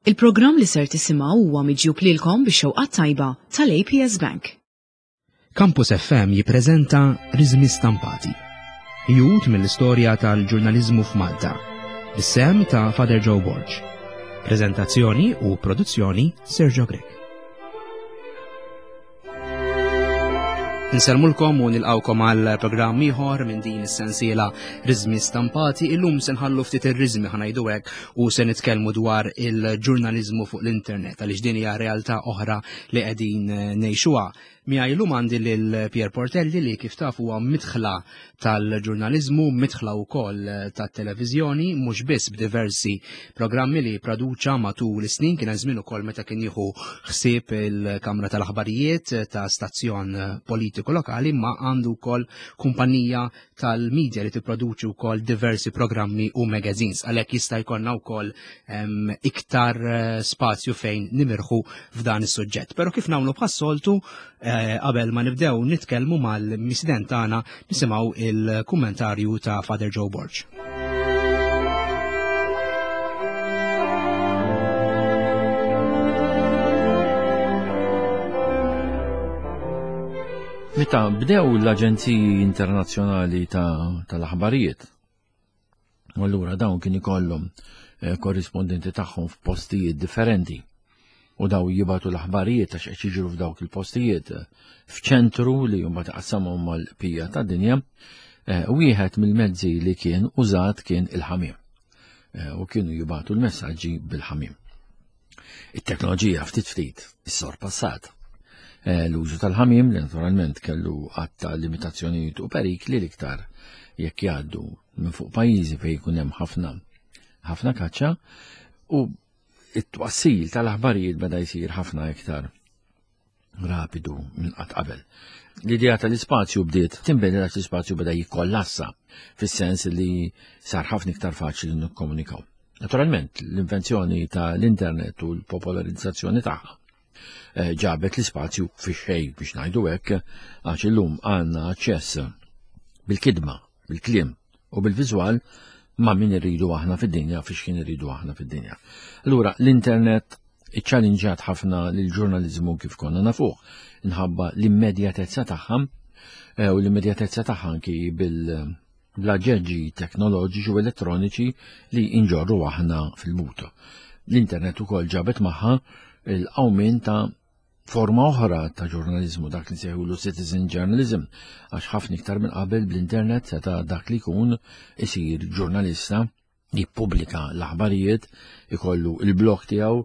Il-programm li ser tisimgħu huwa miġjub lilkom bix-xewqat tajba tal-APS Bank. Campus FM jippreżenta Riżmi Stampati. Ħjut mill-istorja tal-ġurnaliżmu f'Malta. Bis-sehem ta' Father Joe Borg. Preżentazzjoni u produzzjoni Sergio Grech. Nsellmulkom u nilqawkom għal programm ieħor minn din is-sensiela Riżmi Stampati. Illum se nħallu ftit ir-riżmi ħanajdu hekk u se nitkellmu dwar il-ġurnaliżmu fuq l-internet għaliex din hija realtà oħra li qegħdin ngħixuha. Miegħi llum għandi lil Pier Portelli li kif taf huwa midħla tal-ġurnaliżmu, midħla wkoll tat-televiżjoni, mhux biss b'diversi programmi li produċa matul is-snin, kien hemm żmien ukoll meta kien jieħu ħsieb il-Kamra tal-Aħbarijiet ta' stazzjon politiku lokali, ma għandu wkoll kumpanija tal-media li tipproduċi wkoll diversi programmi u magazines għalhekk jista' jkollna wkoll iktar eh, spazju fejn nimirħu f'dan is-suġġett. Però kif nagħmlu bħas-soltu eh, qabel ma nibdew nitkellmu mal-misden tagħna nisimgħu il-kummentarju ta' Father Joe Borg. Meta bdew l-aġenziji internazzjonali tal-aħbarijiet, u allura dawn kien ikollhom eh, korrispondenti tagħhom f'postijiet differenti u daw jibatu l-aħbarijiet għax qed jiġru f'dawk il-postijiet eh, f'ċentru li huma taqsamhom mal-pija tad-dinja, eh, wieħed mill-mezzi li kien użat kien il-ħamiem. U kienu jibatu l-messaġġi bil-ħamiem. It-teknoloġija ftit ftit issorpassat. Eh, l-użu tal-ħamiem li naturalment kellu għatta limitazzjonijiet u perikli l-iktar jekk jgħaddu minn fuq pajjiżi fejn jkun hemm ħafna ħafna kaċċa u it-twassil tal-aħbarijiet beda jsir ħafna iktar rapidu minn qatt qabel. L-idea tal-ispazju bdiet tinbidel għax l-ispazju beda jikkollassa fis-sens li sar ħafna iktar faċli nikkomunikaw. Naturalment, l-invenzjoni tal-internet u l-popolarizzazzjoni tagħha eh, ġabet l-ispazju fi xej biex ngħidu hekk għax illum għandna aċċess bil-kidma, bil-kliem u bil-viżwal ma' min irridu aħna fid-dinja fiex kien irridu aħna fid-dinja. Allura l-internet iċċalinġat ħafna lill-ġurnaliżmu kif konna nafuh, inħabba l-immedjatezza tagħha eh, u l-immedjatezza tagħha anki bil bl-aġġeġġi teknoloġiċi u elettroniċi li inġorru aħna fil-but. L-internet ukoll ġabet magħha l-qawmien ta' forma oħra ta' ġurnaliżmu dak li nsejħulu citizen journalism għax ħafna iktar minn qabel bl-internet seta' dak li jkun isir ġurnalista jippubblika l-aħbarijiet, ikollu il-blog tiegħu.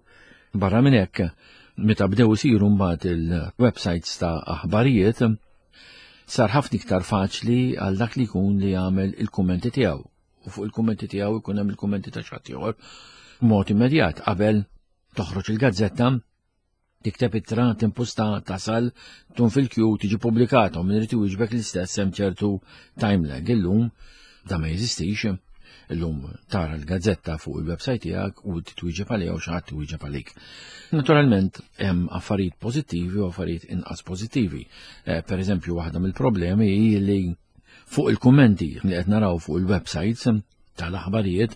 Barra minn hekk, meta bdew isiru mbagħad il-websites ta' aħbarijiet, sar ħafna iktar faċli għal dak li jkun li jagħmel il-kummenti tiegħu. U fuq il-kummenti tiegħu jkun hemm il-kummenti ta' xi ieħor mod immedjat qabel toħroġ il-gazzetta tikteb ittra, timpusta, tasal, tkun fil-kju, tiġi pubblikata u min irid iwieġbek l-istess hemm ċertu time lag. Illum da ma jeżistix, illum tara l-gazzetta fuq il-website tiegħek u titwieġeb għaliha u xi ħadd iwieġeb għalik. Naturalment hemm affarijiet pożittivi u affarijiet inqas pożittivi. Eh, per eżempju, waħda mill-problemi hi li fuq il-kummenti li qed naraw fuq il-websites tal-aħbarijiet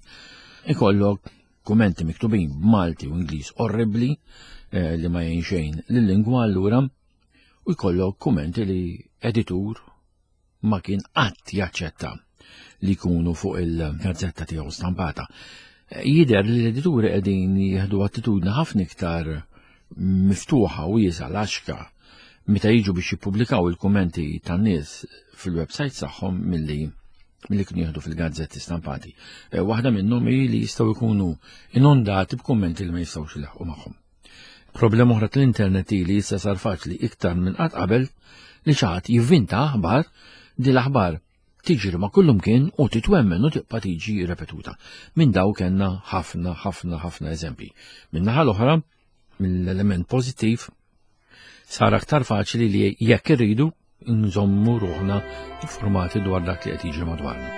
ikollok Kumenti miktubin b'Malti u Ingliż orribbli eh, li ma jgħin xejn lil-lingwa allura u jkollok kumenti li editur ma kien qatt jaċċetta li jkunu fuq il-gazzetta tiegħu stampata. Eh, jider li l-edituri qegħdin jieħdu attitudni ħafna iktar miftuħa u wiesa laxka meta jiġu biex jippubblikaw il-kummenti tan-nies fil-website tagħhom milli milli kienu jieħdu fil-gazzetti stampati. Eh, waħda minnhom hi li jistgħu jkunu inondati b'kummenti li ma jistgħux ilaħqu magħhom. Problema oħra tal-internet hi li issa sar faċli iktar minn qatt qabel li xi ħadd jivvinta aħbar di l-aħbar tiġri ma' kullumkien u titwemmen u tibqa' tiġi repetuta. Minn daw kellna ħafna ħafna ħafna eżempji. Minn naħa l-oħra, mill-element pożittiv, sar aktar faċli li jekk irridu nżommu ruħna informati dwar dak li qed jiġri madwarna.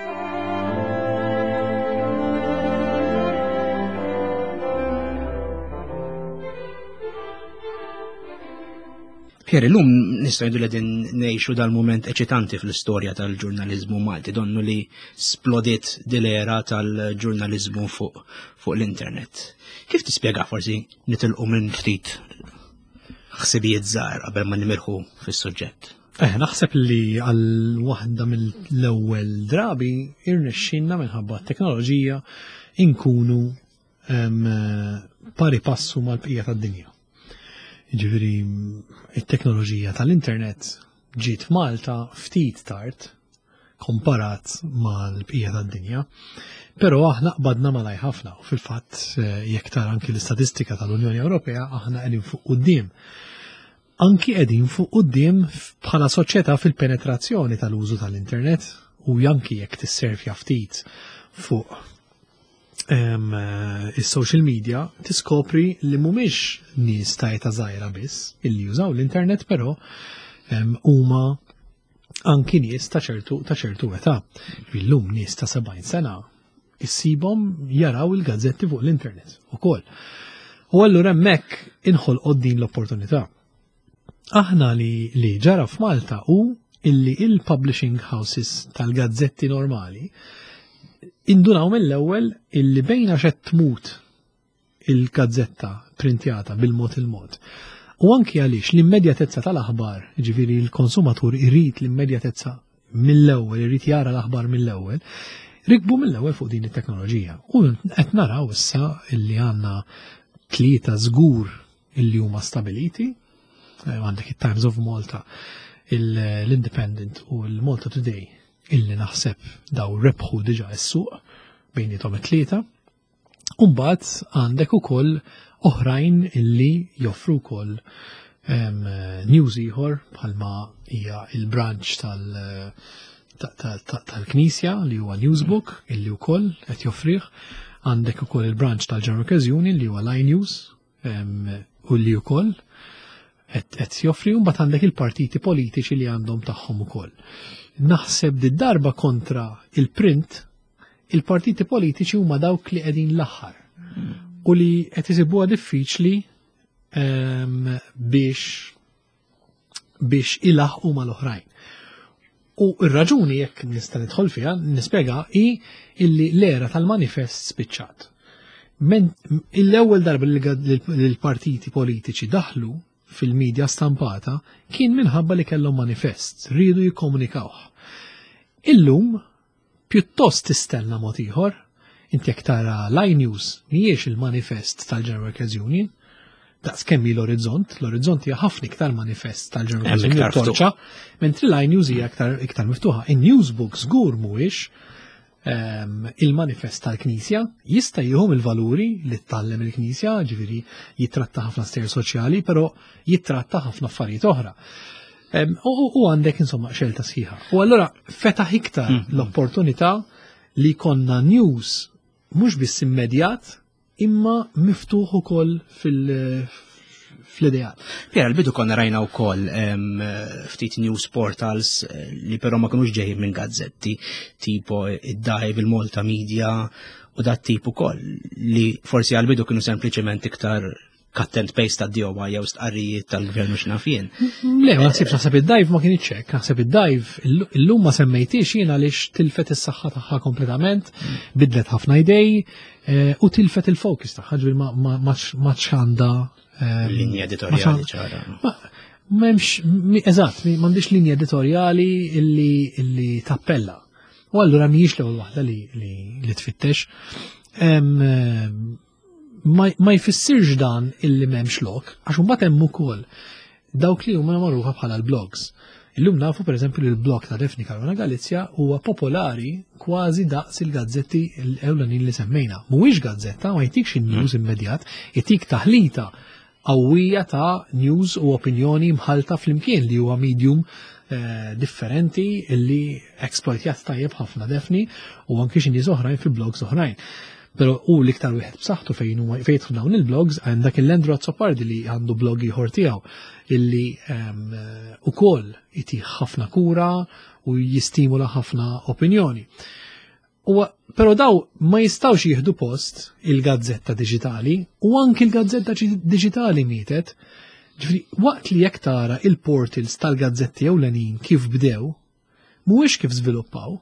Pierre, illum nistgħu ngħidu li qegħdin ngħixu dal-mument eċitanti fl-istorja tal-ġurnaliżmu Malti, donnu li splodiet dil-era tal-ġurnaliżmu fuq fuq l-internet. Kif tispjega forsi nitilqu minn ftit ħsibijiet żgħar qabel ma nimirħu fis-suġġett? Eh, naħseb li għal waħda mill-ewwel drabi irnexxinna minħabba t-teknoloġija inkunu pari passu mal-bqija tad-dinja. Ġifieri it-teknoloġija tal-internet ġiet Malta ftit tard komparat mal-bqija tad-dinja. Però aħna qbadna malaj ħafna u fil-fatt eh, jekk tara anki l-istatistika tal-Unjoni Ewropea aħna qegħdin fuq quddiem. Anki qegħdin fuq quddiem bħala soċjetà fil-penetrazzjoni tal-użu tal-internet u anki jekk tisservja ftit fuq eh, is-social media tiskopri li mhumiex nies ta' età żgħira biss illi jużaw l-internet però huma anki nies ta' ċertu ta' ċertu età. Illum nies ta' 70 sena issibhom jaraw il-gazzetti fuq l-internet ukoll. U allura hemmhekk inħolqot din l-opportunità. Aħna li, li ġara f'Malta hu illi il-publishing houses tal-gazzetti normali indunaw mill-ewwel illi bejn għax qed tmut il-gazzetta printjata bil-mod il-mod. U anki għaliex l-immedjatezza tal-aħbar, ġifieri l-konsumatur irid l-immedjatezza mill-ewwel, irid jara l-aħbar mill-ewwel, rikbu mill-ewwel fuq din it-teknoloġija. U qed naraw issa illi għandna tlieta żgur illi huma stabiliti, eh, għandek it-Times of Malta, l-Independent u l-Malta Today illi naħseb daw rebħu diġa s-suq bejnietom it-tlieta. Umbagħad għandek ukoll oħrajn illi joffru wkoll news ieħor bħalma hija il-branch tal- tal-Knisja li huwa Newsbook illi wkoll qed joffrih. Għandek ukoll il-branch tal-General Workers Union li huwa Line News u li wkoll qed joffri u mbagħad għandek il-partiti politiċi li għandhom tagħhom ukoll. Naħseb di darba kontra il-print il-partiti politiċi huma dawk li qegħdin l-aħħar u li qed isibuha diffiċli biex biex ilaħqu mal-oħrajn. U r-raġuni jekk nista' nidħol fiha, nispjega hi illi l-era tal-manifest spiċċat. L-ewwel darba li l-partiti politiċi daħlu fil-medja stampata kien minħabba li kellhom manifest, riedu jikkomunikawh. Illum pjuttost tistenna mod ieħor. Inti jekk tara l-iNews mhijiex il-manifest tal-General Workers Union, daqs kemm hi l-Orizzont, l-Orizzont hija ħafna iktar manifest tal-General Workers Union torċa, mentri l-iNews hija iktar, iktar miftuħa. In-Newsbook żgur mhuwiex ehm, il-manifest tal-Knisja jista' jieħu il-valuri li tallem il-Knisja, ġifieri jitratta ħafna stejjer soċjali, però jitratta ħafna affarijiet oħra. U għandek insomma xelta sħiħa. U allura fetaħ iktar mm. l-opportunità li konna news mhux biss immedjat imma miftuħ ukoll fil- fl-ideat. Piera, l-bidu konna rajna u koll ftit news portals eh, li però ma kienux ġejjin minn gazzetti, tipo id-Dive, il-Malta Media u dat tip ukoll li forsi għal-bidu kienu sempliċement iktar cut and paste ta' DOI jew stqarrijiet tal-gvern u x'naf jien. Le, ma naħsibx naħseb id-dive ma kienx hekk, naħseb id-dive illum ma semmejtix jien għaliex tilfet is-saħħa tagħha kompletament, bidlet ħafna idej eh, u tilfet il-focus tagħha, ġifieri ma għandha eh, linja editorjali ċara. M'hemmx, eżatt, m'għandix linja editorjali illi tappella. U allura mhijiex l-ewwel waħda li tfittex. Ma, ma jfissirx dan illi m'hemmx lok, għax imbagħad hemm ukoll dawk li huma magħrufa bħala l-blogs. Illum nafu pereżempju li l-blog ta' Daphne Caruana Galizia huwa popolari kważi daqs il-gazzetti l-ewlenin li semmejna. Mhuwiex gazzetta, ma jtikx in-news mm. immedjat, jtik taħlita qawwija ta' news u opinjoni mħalta flimkien li huwa medium eh, differenti illi exploitjat tajjeb ħafna Daphne u anki xi nies oħrajn fi blogs oħrajn. Pero u l-iktar wieħed b'saħħtu fejn huma fejn jidħlu dawn il-blogs għandak il-Landro Azzopardi li għandu blog ieħor tiegħu illi ehm, ukoll itih ħafna kura u jistimula ħafna opinjoni. U però daw ma jistawx jieħdu post il-gazzetta diġitali u anki l-gazzetta diġitali mietet. Ġifieri, waqt li jekk tara il-portals tal-gazzetti ewlenin kif bdew, mhuwiex kif żviluppaw.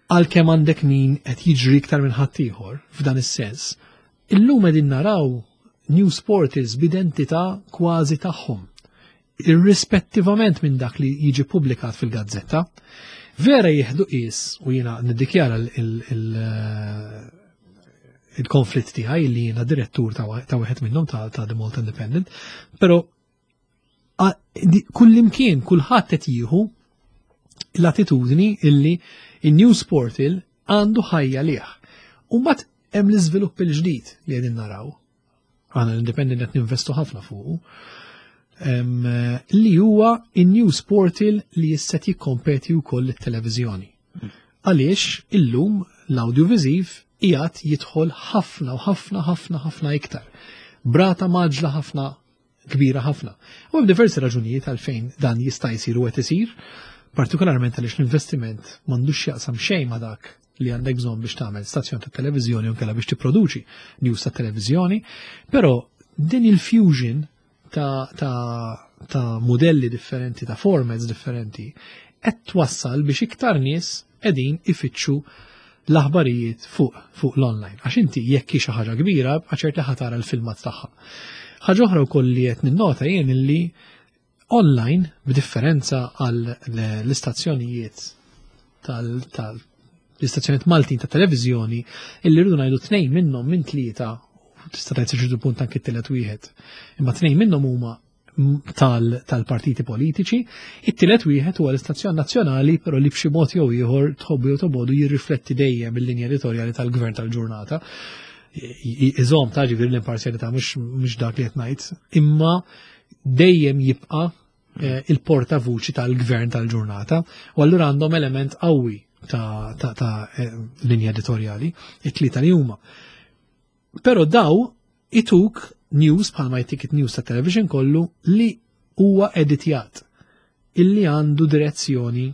Għalkemm għandek min qed jiġri iktar minn ħaddieħor f'dan is-sens, illum qegħdin naraw news portals b'identità kważi tagħhom, irrispettivament minn dak li jiġi publikat fil-gazzetta. Vera jieħdu qis u jiena niddikjara il-konflitt tiegħi li jiena direttur ta' wieħed minnhom ta' The Malta Independent, però kullimkien kulħadd qed jieħu l-attitudni illi il-news portal għandu ħajja liħ. U mbagħad hemm l-iżvilupp il-ġdid li qegħdin naraw. Aħna l-Independent qed ninvestu ħafna fuqu. Li huwa in-news portal li jista' jikkompeti wkoll it-televiżjoni. Għaliex illum l-audiovisiv qiegħed jidħol ħafna u ħafna ħafna ħafna iktar. B'rata mgħaġġla ħafna kbira ħafna. U hemm diversi raġunijiet għalfejn dan jista' jsir u qed isir, partikolarment għaliex l-investiment m'għandux jaqsam xejn ma' dak li għandek bżonn biex tagħmel stazzjon ta' televiżjoni u nkella biex tipproduċi news ta' televiżjoni, però din il-fusion ta', ta, ta modelli differenti, ta' formats differenti, qed twassal biex iktar nies qegħdin ifittxu l-aħbarijiet fuq l-online. Għax inti jekk hi xi ħaġa kbira, ċert li ħa tara l-filmat tagħha. Ħaġa oħra wkoll li qed ninnota jien illi online b'differenza għal l-istazzjonijiet tal l-istazzjonijiet Maltin ta' televiżjoni illi rridu ngħidu tnejn minnhom minn tlieta tista' tgħid ċertu punt anke t-tielet wieħed. Imma tnejn minnhom huma tal-partiti politiċi, it-tielet wieħed huwa l-istazzjon nazzjonali però li b'xi mod jew ieħor tħobbu jew tobodu jirrifletti dejjem il-linja editorjali tal-gvern tal-ġurnata. Iżom ta' ġifieri l-imparzjalità mhux dak li qed ngħid, imma dejjem jibqa' eh, il-portavuċi tal-gvern tal-ġurnata u allura għandhom element qawwi ta', ta, ta eh, linja editorjali, it-tlieta li huma. Però daw ituk news bħalma jtik news ta' television kollu li huwa editjat illi għandu direzzjoni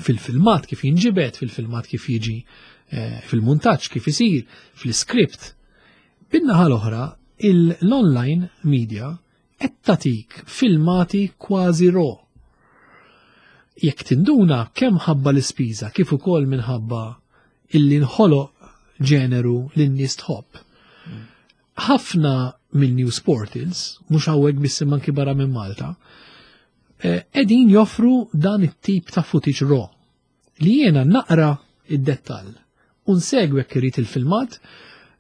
fil-filmat kif jinġibed, fil-filmat kif jiġi eh, fil-muntaġġ kif isir, fl-iskript. Bin-naħa l-oħra, l-online media qed tagħtik filmati kważi raw. Jekk tinduna kemm ħabba l-ispiża kif ukoll minħabba illi nħoloq ġeneru li n-nies tħobb. Ħafna minn news portals, mhux hawnhekk biss imma anki barra minn Malta, eh, qegħdin joffru dan it-tip ta' footage raw li jiena naqra id-dettall u nsegwi jekk irid il-filmat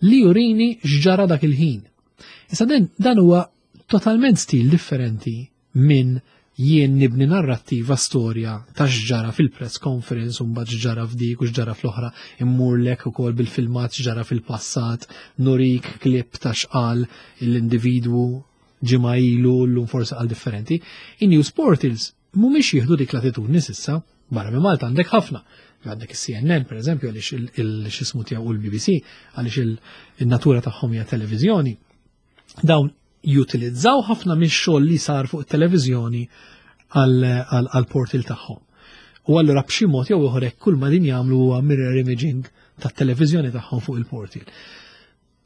li jurini x'ġara dak il-ħin. Issa dan huwa totalment stil differenti minn jien nibni narrattiva storja ta' x'ġara fil-press conference u mbagħad x'ġara f'dik u x'ġara fl-oħra, immurlek ukoll bil-filmat x'ġara fil-passat, nurik klip ta' x'qal l-individwu ġimgħa ilu llum forsi qal differenti. In-news portals mhumiex jieħdu dik l-attitudni s'issa, barra minn Malta għandek ħafna. Għandek is-CNN per eżempju għaliex il-xismu tiegħu u l-BBC għaliex il-natura tagħhom hija televiżjoni. Dawn jutilizzaw ħafna mix-xogħol li sar fuq it-televiżjoni għal-portal tagħhom. U allura b'xi mod jew ieħor hekk kull ma din jagħmlu huwa mirror imaging tat-televiżjoni tagħhom fuq il-portal.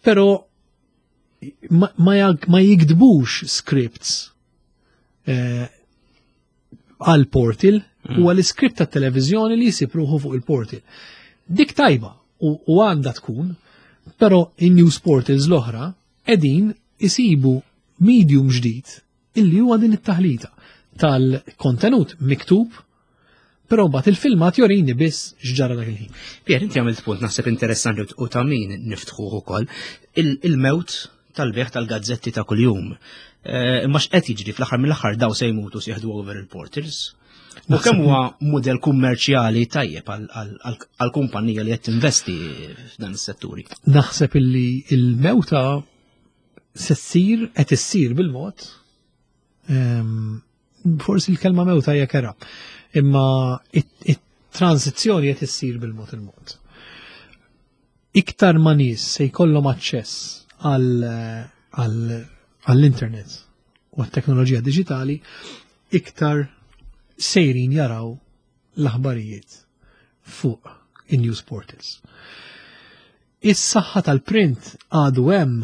Però ma, ma jikdbux scripts eh, għal portal u għal script tat televiżjoni li jsib ruħu fuq il-portal. Dik tajba u għandha tkun, però in-news portals l-oħra qegħdin isibu medium ġdid illi huwa din it-taħlita tal-kontenut miktub però mbagħad il-filmat jorini biss x'ġara dak il-ħin. Pier, inti għamilt punt naħseb interessanti u ta' min niftħuh ukoll il-mewt tal-beħ tal-gazzetti ta' kuljum. Eh, imma x'qed jiġri fl-aħħar mill-aħħar daw se jmutu se jieħdu over il-portals. U kemm huwa mudell kummerċjali tajjeb għal kumpanija li qed tinvesti f'dan is-setturi? Naħseb illi il-mewta se ssir qed issir bil-mod. Ehm, forsi l-kelma mewta hija kera, imma it-transizzjoni qed issir bil-mod il-mod. Iktar ma nies se jkollhom aċċess għall-internet u għat-teknoloġija diġitali, iktar sejrin jaraw l-aħbarijiet fuq in-news portals. Is-saħħa tal-print għadu hemm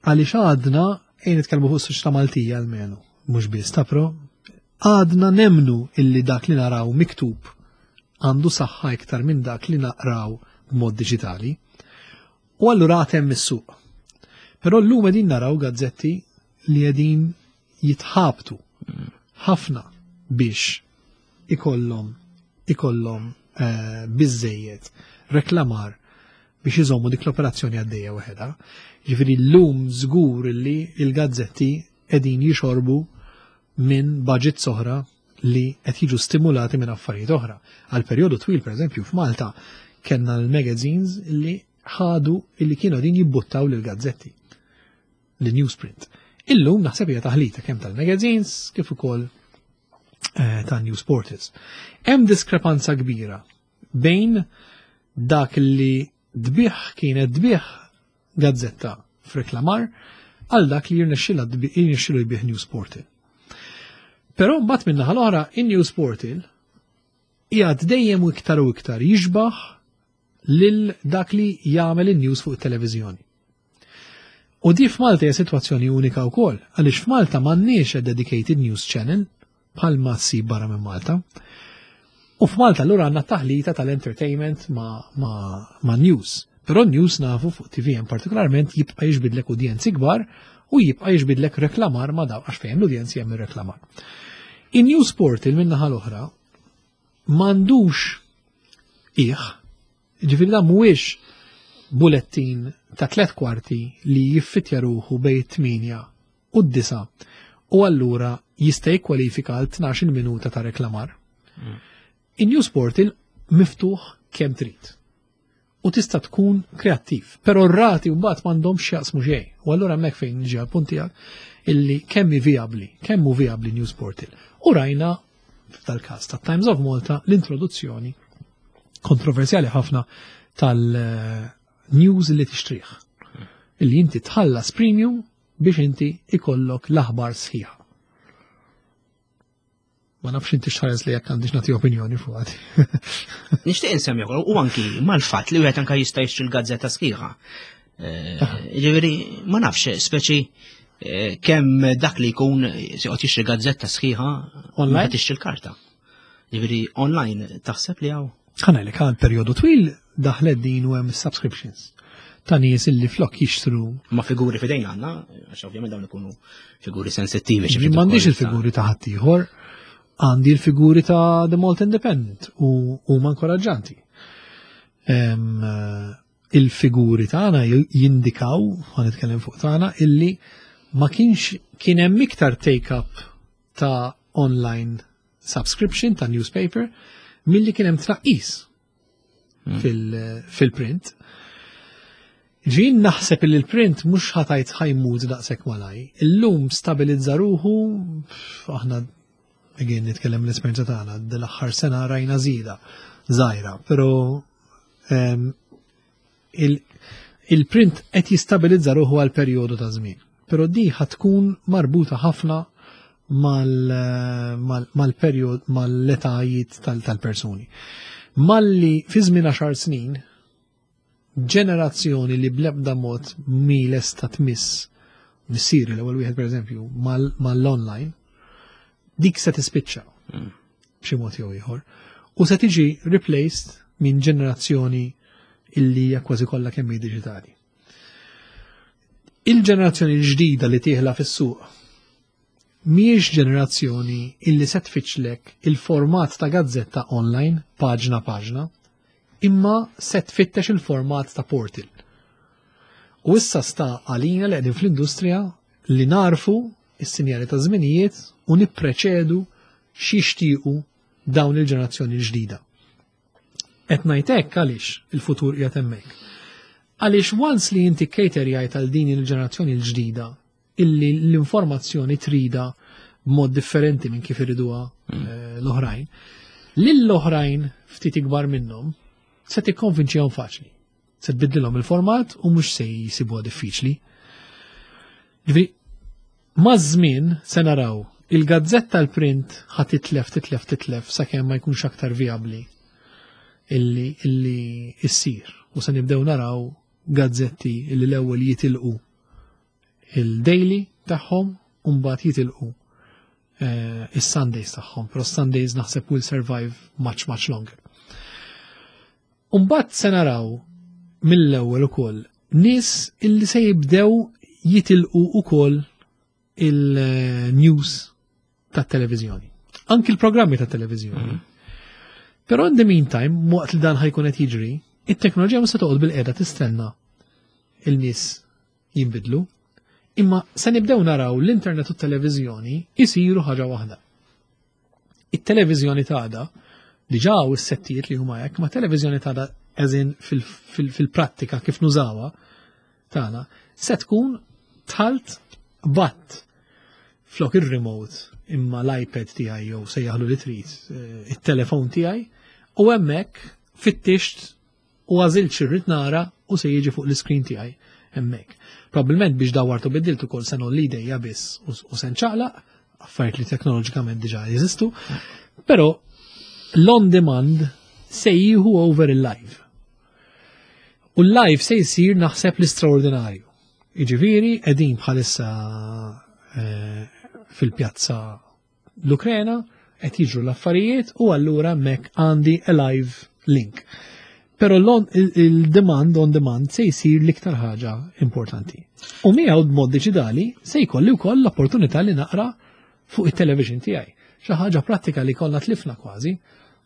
għaliex għadna Ejn nitkellmu fuq is-soċjetà Maltija almenu, mhux biss ta' pro, għadna nemnu illi dak li naraw miktub għandu saħħa iktar minn dak li naqraw b'mod diġitali. U allura għad hemm is-suq. Però llum qegħdin naraw gazzetti li qegħdin jitħabtu ħafna biex ikollhom ikollhom eh, biżejjed reklamar biex iżommu dik l-operazzjoni għaddejja waħedha. Ġifieri llum żgur li l-gazzetti qegħdin jixorbu minn budget oħra li qed jiġu stimulati minn affarijiet oħra. Għal perjodu twil, pereżempju, f'Malta kellna l-magazines li ħadu illi kienu qegħdin jibbuttaw lil gazzetti l-newsprint. Illum naħseb hija taħlita kemm tal-magazines kif ukoll eh, ta' news portals. Hemm diskrepanza kbira bejn dak li dbih kienet dbih gazzetta f'reklamar għal dak li jirnexxilu jbih news portal. Però mbagħad minn naħa l-oħra in-news portal qiegħed dejjem u iktar u iktar jixbaħ lil dak li jagħmel in-news fuq it-televiżjoni. U di f'Malta hija sitwazzjoni unika wkoll, għaliex f'Malta m'għandniex a dedicated news channel bħal ma ssib barra minn Malta. U f'Malta allura għandna taħlita tal-entertainment ma, ma, ma news. Però news nafu fuq TVM partikolarment jibqa' jiġbidlek udjenzi kbar u jibqa' jiġbidlek reklamar ma daw għax fejn l-udjenzi hemm ir-reklamar. In-news portal min-naħa l-oħra m'għandux iħ, ġifieri dan mhuwiex bulettin ta' tlet kwarti li jiffitja ruħu bejn it-8 u d-9 u allura jista' jikkwalifika għal 12 minuta ta' reklamar. In-news portal miftuħ kemm trid. U tista' tkun kreattiv, però r-rati mbagħad m'għandhomx x'jaqsmu xejn. U allura hemmhekk fejn niġi għall-punt tiegħek illi kemm hi vijabbli, kemm hu vijabbli news portal. U rajna f'dal-każ ta' Times of Malta l-introduzzjoni kontroversjali ħafna tal-news li tixtrih. Illi inti tħallas premium biex inti ikollok l-aħbar sħiħa. Ma nafx inti xħares li jekk għandix nagħti opinjoni fuq għadi. Nixtieq insemmi ukoll u anki mal-fatt li wieħed anke jista' jixtri l-gazzetta sħiħa. Eh, ġifieri ma nafx speċi eh, kemm dak li jkun se joqgħod jixtri gazzetta sħiħa online tixtri l-karta. Ġifieri online taħseb li hawn? Ħanajlek għal perjodu twil daħlet din u hemm subscriptions ta' nies illi flok jixtru. Ma figuri fidejn għandna, għax ovvjament dawn ikunu figuri sensittivi. M'għandix il-figuri ta' ħaddieħor, għandi l-figuri ta' The Malta Independent u huma inkoraġġanti. Il-figuri tagħna jindikaw, ħa nitkellem fuq tagħna, illi ma kienx kien hemm iktar take-up ta' online subscription ta' newspaper milli kien hemm tnaqqis fil-print. Ġin naħseb li l-print mhux ħatajt ħajmut daqshekk malaj. Illum stabilizza ruħu, aħna again nitkellem l-esperjenza tagħna, dal-aħħar sena rajna żieda żgħira, però ehm, il-print qed jistabilizza ruħu għal perjodu ta' żmien. Però di tkun marbuta ħafna mal-perjod mal-etajiet tal-persuni. Malli fi żmien 10 snin ġenerazzjoni li bl-ebda mod mi lesta tmiss missieri l-ewwel wieħed pereżempju mal-online dik se tispiċċa mm. b'xi mod jew ieħor u se tiġi replaced minn ġenerazzjoni illi hija kważi kollha kemm hi diġitali. Il-ġenerazzjoni l-ġdida li tieħla fis-suq mhijiex ġenerazzjoni illi se tfittxlek il-format ta' gazzetta online, paġna paġna, imma se tfittex il-format ta' portal. U issa sta għalina li qegħdin fl-industrija li narfu is-sinjali ta' żminijiet u nippreċedu x'jixtiequ dawn il-ġenerazzjoni l-ġdida. Qed ngħid hekk għaliex il-futur qiegħed hemmhekk. Għaliex once li inti caterjajt għal din il-ġenerazzjoni l-ġdida illi l-informazzjoni trida b'mod differenti minn kif iriduha mm. eh, l-oħrajn, lill-oħrajn ftit ikbar minnhom se tikkonvinċihom faċli. Se tbiddilhom il-format u mhux se jsibuha diffiċli. Ġifieri, maż-żmien se naraw il-gazzetta l-print ħa titlef, titlef, titlef sakemm ma jkunx aktar viabli illi illi issir u se nibdew naraw gazzetti illi l-ewwel jitilqu il-daily tagħhom u mbagħad jitilqu is-Sundays tagħhom, però Sundays naħseb will survive much much longer. Umbagħad se naraw mill-ewwel ukoll nies illi se jibdew jitilqu ukoll il-news tat-televiżjoni. Anki l-programmi tat-televiżjoni. Però in the meantime, waqt li dan ħa jkun qed jiġri, it-teknoloġija ma se toqgħod bil-qiegħda tistenna il-nies jinbidlu, imma se nibdew naraw l-internet u t-televiżjoni jisiru ħaġa waħda. It-televiżjoni t'għada, diġà hawn is-settijiet li huma hekk, ma televiżjoni t'għada as in fil-prattika kif nużawha tagħna, se tkun talt bat flok ir-remote imma l-iPad tiegħi jew sejjaħlu li trid, it-telefon tiegħi, u hemmhekk fittixt u għażilt x'irrid nara u se jiġi fuq l-iskrin tiegħi hemmhekk. Probabbilment biex dawartu biddilt ukoll se nolli idejja biss u se nċaqlaq, affarijiet li teknoloġikament diġà jeżistu, però l-on demand se jieħu over il-live. U l-live se jsir naħseb l-istraordinarju. Jiġifieri qegħdin bħalissa fil-pjazza l-Ukrena, qed jiġru l-affarijiet u allura hemmhekk għandi a live link. Però il-demand on demand se jsir l-iktar ħaġa importanti. U miegħu b'mod diġitali se jkolli wkoll l-opportunità li naqra fuq it-television tiegħi. Xi ħaġa pratika li kollha tlifna kważi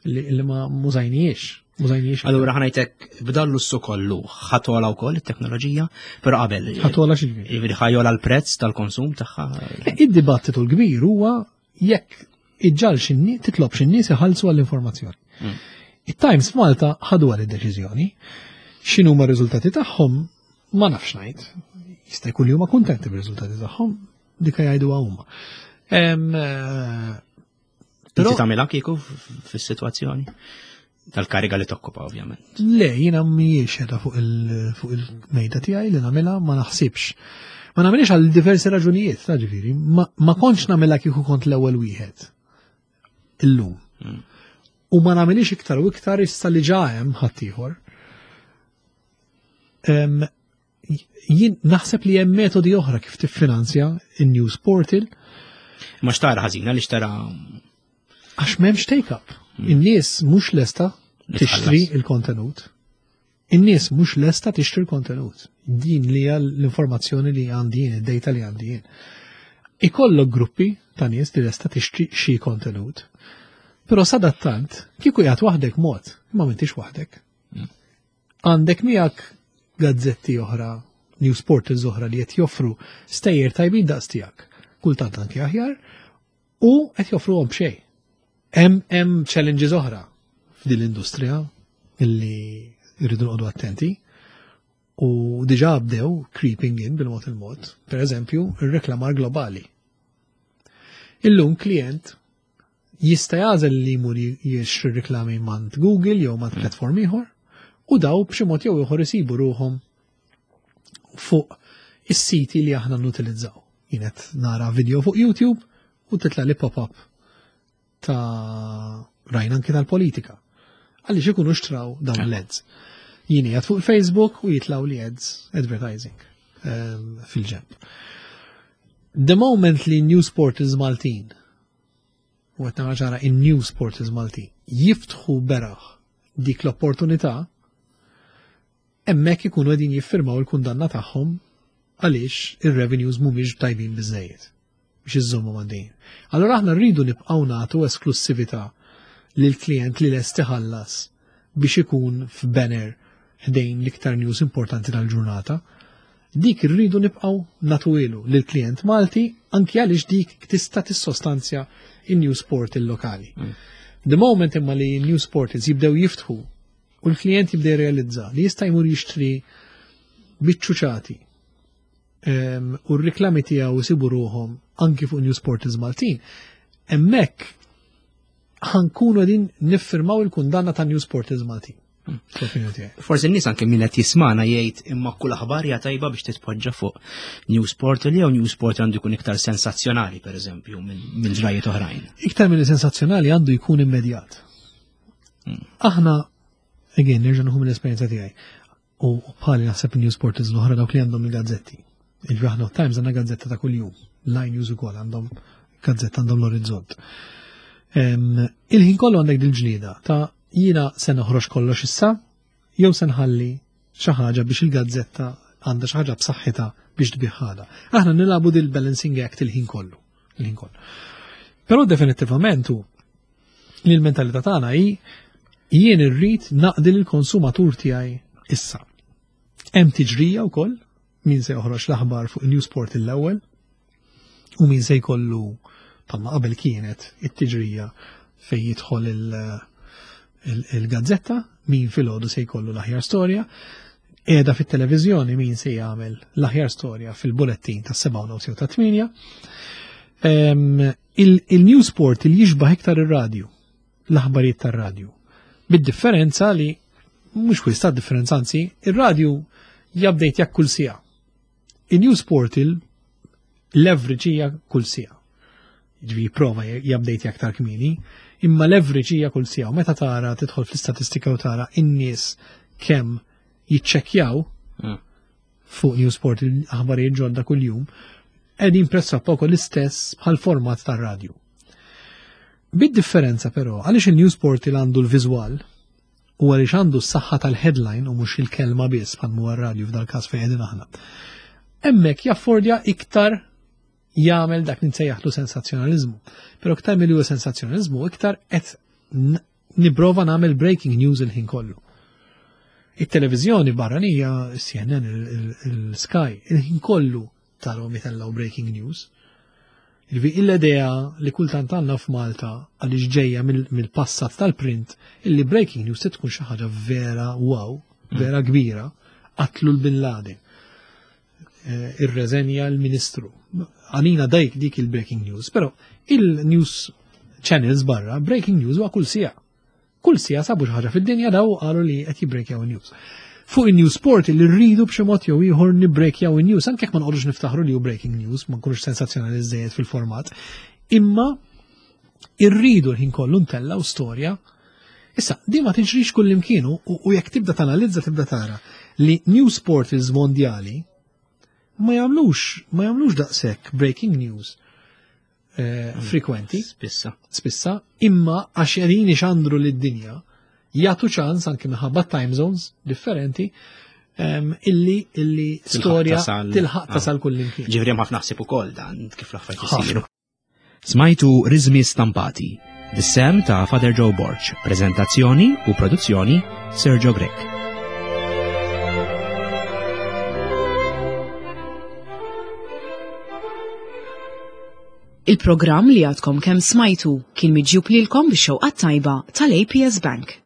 li ma mużajniex. Mużajniex. Allura ħa ngħidlek b'dan l-ussu kollu ħa togħla wkoll it-teknoloġija, però qabel. Ħa togħla xi ġifieri? Jiġifieri ħa jogħla l-prezz tal-konsum tagħha. Id-dibattitu l-kbir huwa jekk iġġal xinni, titlob x'in-nies iħallsu għall-informazzjoni. It-Times f'Malta ħadu għal id-deċiżjoni. X'inhu ma r-riżultati tagħhom ma nafx ngħid. Jista' jkun li huma kuntenti bir-riżultati tagħhom, dika jgħiduha huma. Inti tagħmilha kieku fis-sitwazzjoni tal-kariga li tokkupa ovvjament. Le, jiena mhijiex qiegħda fuq il-mejda tiegħi li nagħmilha, ma naħsibx. Ma nagħmilx għal diversi raġunijiet, ta' ġifieri, ma kontx nagħmilha kieku kont l-ewwel wieħed illum. U ma nagħmilx iktar u iktar issa li ġa hemm ħaddieħor. Jien naħseb li hemm metodi oħra kif tiffinanzja in-news portal. Ma xtara ħażina li xtara Għax m'hemmx take-up. In-nies mhux lesta Li tixtri tħallas. il-kontenut. In-nies mhux lesta tixtri l-kontenut. Din li hija l-informazzjoni li għandi jien, id-data li għandi jien. Ikollok gruppi ta' nies li lesta tixtri xi kontenut. Però sadattant, kieku jgħat waħdek mod, imma m'intix waħdek. Għandek miegħek gazzetti oħra, news portals oħra li qed joffru stejjer tajbin daqs tiegħek, kultant anki aħjar, u qed joffruhom b'xejn. Hemm challenges oħra f'din l-industrija illi rridu noqogħdu attenti u diġà bdew creeping in bil-mod il-mod, per eżempju, ir-reklamar globali. Illum klient jista' jagħżel li jmur jixtri reklami mant Google jew mant platform ieħor u daw b'xi mod jew ieħor isibu ruhom fuq is-siti li aħna nutilizzaw. Jien qed nara video fuq YouTube u titla' li pop-up ta' rajna anki tal-politika. Għaliex ikunu xtraw dawn l-ads. Jien qiegħed fuq Facebook u jitlaw li ads advertising fil-ġenb. The moment li news portals Maltin, u qed nara ċara in news portals Maltin, jiftħu beraħ dik l-opportunità, hemmhekk ikunu qegħdin jiffirmaw il-kundanna tagħhom għaliex ir-revenues mhumiex tajbin biżejjed biex iżommu għaddejjin. Allora aħna rridu nibqgħu nagħtu esklussività lil klient li lest iħallas biex ikun f'banner ħdejn l-iktar news importanti tal-ġurnata. Dik irridu nibqgħu nagħtuhielu lil klient Malti anki għaliex dik tista' tissostanzja in-news portal lokali. The moment imma li news portals jibdew jiftħu u l-klient jibda jirrealizza li jista' jmur jixtri biċċuċati u r-riklami tiegħu jsibu ruhom anki fuq news portals Maltin, hemmhekk ħa nkunu qegħdin niffirmaw il-kundanna ta' news portals Maltin. L-opinjoni tiegħi. Forsi n-nies anke min qed jismana jgħid imma kull aħbar hija tajba biex titpoġġa fuq news portal jew news portal għandu jkun iktar sensazzjonali pereżempju minn ġrajiet oħrajn. Iktar minn sensazzjonali għandu jkun immedjat. Aħna, again, nerġa' nieħu mill-esperjenza tiegħi. U bħali naħseb news portals l-oħra dawk li għandhom il-gazzetti. Jiġifieri aħna Times għandna gazzetta ta' kuljum, Line News ukoll għandhom gazzetta għandhom l-orizzont. Il-ħin kollu għandek dil-ġlieda ta' jiena se noħroġ kollox issa jew se nħalli xi ħaġa biex il-gazzetta għandha xi ħaġa b'saħħitha biex tbiħħada. Aħna nilagħbu dil-balancing act il-ħin kollu. Il-ħin kollu. Però definittivament hu li l-mentalità tagħna hi jien irrid naqdi lill-konsumatur tiegħi issa. Hemm tiġrija wkoll min se joħroġ l-aħbar fuq Newsport l-ewwel u min se jkollu bħalma qabel kienet it-tiġrija fejn jidħol il-gazzetta, min filgħodu se jkollu l-aħjar storja, qiegħda fit-televiżjoni min se jagħmel l-aħjar storja fil-bulettin ta' 7 u ta' 8. Il-Newsport il jixbaħ iktar ir-radju, l-aħbarijiet tar-radju. Bid-differenza li mhux wisq ta' differenza anzi, ir-radju jabdejt jak kull siegħa. Il-news portal l-average hija kull siegħa. Ġifieri prova jabdejt aktar kmieni, imma l-average hija kull siegħa. U meta tara tidħol fl-istatistika u tara in-nies kemm jiċċekkjaw mm. fuq News Portal aħbarijiet ġodda kuljum, qegħdin pressappoco l-istess bħal format tar-radju. Bid-differenza però, għaliex il-News Portal għandu l-viżwal u għaliex għandu s-saħħa tal-headline u mhux il-kelma biss bħal huwa r-radju f'dal-każ fejn qegħdin aħna. Hemmhekk jaffordja iktar jagħmel dak li nsejjaħlu sensazzjonaliżmu. Però iktar milli huwa sensazzjonaliżmu, iktar qed nipprova nagħmel breaking news il-ħin kollu. It-televiżjoni barranija, CNN, il-Sky, il-ħin kollu tarahom jitellgħu breaking news. Jiġifieri l-idea li kultant għandna f'Malta għaliex ġejja mill-passat tal-print illi breaking news se tkun xi ħaġa vera wow, mm. vera kbira, qatlu l-Bin Laden. Eh, irreżenja l-Ministru. Għalina dajk dik il-breaking news, però il-news channels barra, breaking news huwa kull sija. Kull sija sabu xi ħaġa fid-dinja daw qalu li qed jibbrekjaw news. Fuq in-news sport li rridu b'xi mod jew ieħor nibbrekjaw in-news, anke jekk ma noqogħdux niftaħru li hu breaking news, ma nkunux sensazzjonali żejjed fil-format, imma irridu l-ħin kollu ntellgħu storja. Issa, di ma tiġrix kull imkienu u jekk tibda tanalizza tibda tara li news portals mondjali ma jagħmlux ma jagħmlux daqshekk breaking news Eh, mm. frekwenti. Spissa. Spissa, imma għax qegħdin ixandru lid-dinja jagħtu ċans anke minħabba time zones differenti illi illi storja tilħaq ah. tasal kull imkien. Ġifieri hemm ħafna ħsieb ukoll dan kif l-affarijiet isiru. Smajtu Rizmi Stampati, bis-sem ta' Father Joe Borg, prezentazzjoni u produzzjoni Sergio Grech. Il-programm li għadkom kemm smajtu kien miġjub lilkom bix-xewqa tajba tal-APS Bank.